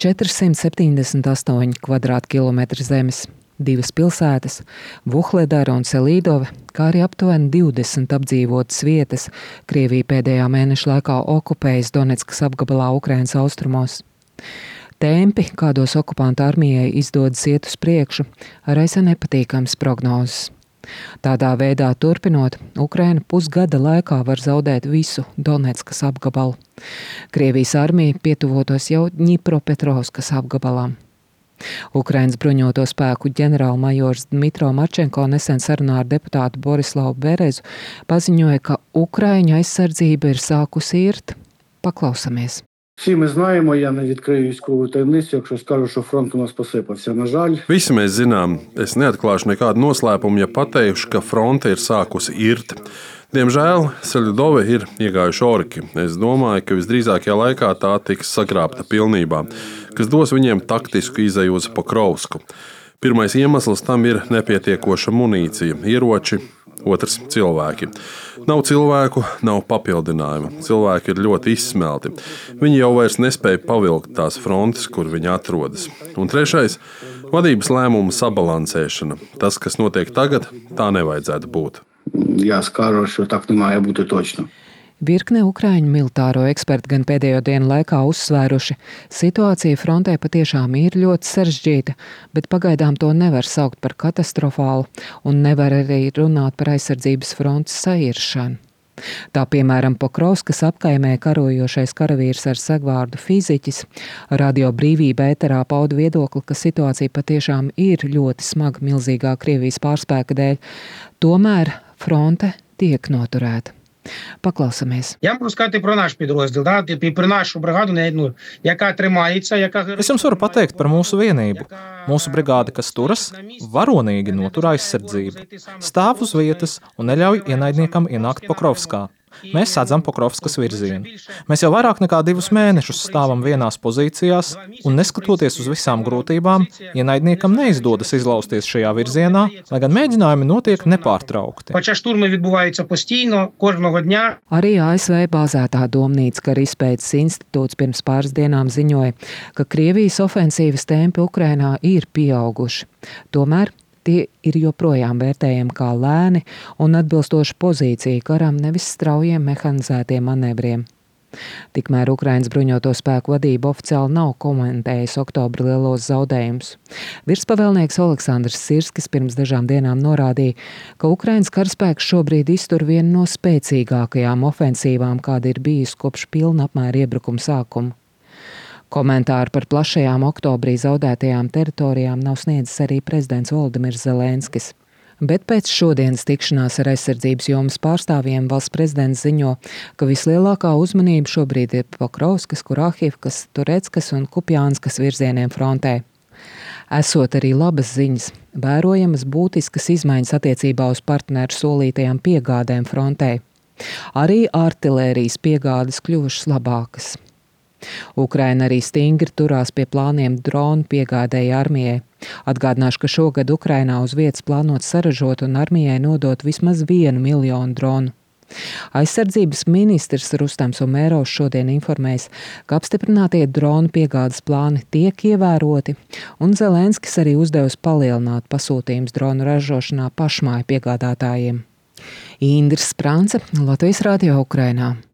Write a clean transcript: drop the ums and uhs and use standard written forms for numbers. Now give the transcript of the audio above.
478 kvadrātkilometri zemes, 2 pilsētas, Vuhledara un Selīdove, kā arī aptuveni 20 apdzīvotas vietas Krievija pēdējā mēneša laikā okupējas Donetskas apgabalā Ukrainas austrumos. Tempi, kādos okupantu armijai izdodas iet uz priekšu, raisa nepatīkams prognozes. Tādā veidā turpinot, Ukraina pusgada laikā var zaudēt visu Donetskas apgabalu. Krievijas armija pietuvotos jau Ņipropetrovskas apgabalām. Ukrainas bruņoto spēku ģenerālmajors Dmitro Marčenko nesen sarunā ar deputātu Borislavu Berezu paziņoja, ka Ukraiņu aizsardzība ir sākusi irt. Paklausamies. Всі ми знаємо, я не відкрию військову таємницю, якщо скажу, що фронт у нас посипався. На жаль. Visi mēs zinām, es neatklāšu nekādu noslēpumu, ja pateikšu, ka fronte ir sākusi irt. Diemžēl Selidove ir iegājuši orki. Es domāju, ka visdrīzākajā laikā tā tiks sagrābta pilnībā, kas dos viņiem taktisku izeju uz Pokrovsku. Pirmais iemesls tam ir nepietiekoša munīcija, ieroči, otrs - cilvēki. Nav cilvēku, nav papildinājuma. Cilvēki ir ļoti izsmelti. Viņi jau vairs nespēja pavilkt tās frontes, kur viņi atrodas. Un trešais - vadības lēmumu sabalansēšana. Tas, kas notiek tagad, tā nevajadzētu būt. Я скажу, що так не має бути точно. Virkne Ukraiņu militāro eksperti gan pēdējo dienu laikā uzsvēruši, situācija frontē patiešām ir ļoti sarežģīta, bet pagaidām to nevar saukt par katastrofālu un nevar arī runāt par aizsardzības frontes sairšanu. Tā piemēram Pokrovskas apkaimē karojošais karavīrs ar segvārdu fiziķis Radio Brīvība ēterā pauda viedokli, ka situācija patiešām ir ļoti smaga milzīgā Krievijas pārspēka dēļ, tomēr fronte tiek noturēta. Paklausamies. Я можу сказати про наш підрозділ, про нашу бригаду, яка тримається, яка... Es jums varu pateikt par mūsu vienību. Mūsu brigāde, kas turas, varonīgi notur aizsardzību, stāv uz vietas un neļauj ienaidniekam ienākt Pokrovskā. Mēs sadzam Pokrovskas virzienu. Mēs jau vairāk nekā 2 mēnešus stāvam vienās pozīcijās, un neskatoties uz visām grūtībām, ienaidniekam neizdodas izlausties šajā virzienā, lai gan mēģinājumi notiek nepārtraukti. Хоча штурми відбуваються постійно, кожного дня. Arī ASV bāzētā Domnīca kara izpētes institūts pirms pāris dienām ziņoja, ka Krievijas ofensīvas tempi Ukrainā ir pieauguši. Tomēr tie ir joprojām vērtējami kā lēni un atbilstoši pozīcija karam, nevis straujiem mehanizētiem manevriem. Tikmēr Ukrainas bruņoto spēku vadība oficiāli nav komentējusi oktobra lielos zaudējumus. Virspavēlnieks Oleksandrs Sirskis pirms dažām dienām norādīja, ka Ukrainas karaspēks šobrīd iztur vienu no spēcīgākajām ofensīvām, kāda ir bijusi kopš pilna apmēra iebrukuma sākuma. Komentāru par plašajām oktobrī zaudētajām teritorijām nav sniedzis arī prezidents Volodimirs Zelenskis. Bet pēc šodienas tikšanās ar aizsardzības jomas pārstāvjiem valsts prezidents ziņo, ka vislielākā uzmanība šobrīd ir Pokrovskas, Kurahivkas, Tureckas un Kupjānskas virzieniem frontē. Esot arī labas ziņas, vērojamas būtiskas izmaiņas attiecībā uz partneru solītajām piegādēm frontē. Arī artilērijas piegādes kļuvušas labākas. Ukraina arī stingri turās pie plāniem dronu piegādēji armijai. Atgādināšu, ka šogad Ukrainā uz vietas plānots saražot un armijai nodot vismaz 1 miljonu dronu. Aizsardzības ministrs Rustams Umerovs šodien informēs, ka apstiprinātie dronu piegādes plāni tiek ievēroti, un Zelenskis arī uzdevusi palielināt pasūtījumus dronu ražošanā pašmāju piegādātājiem. Indra Sprance, Latvijas radio Ukrainā.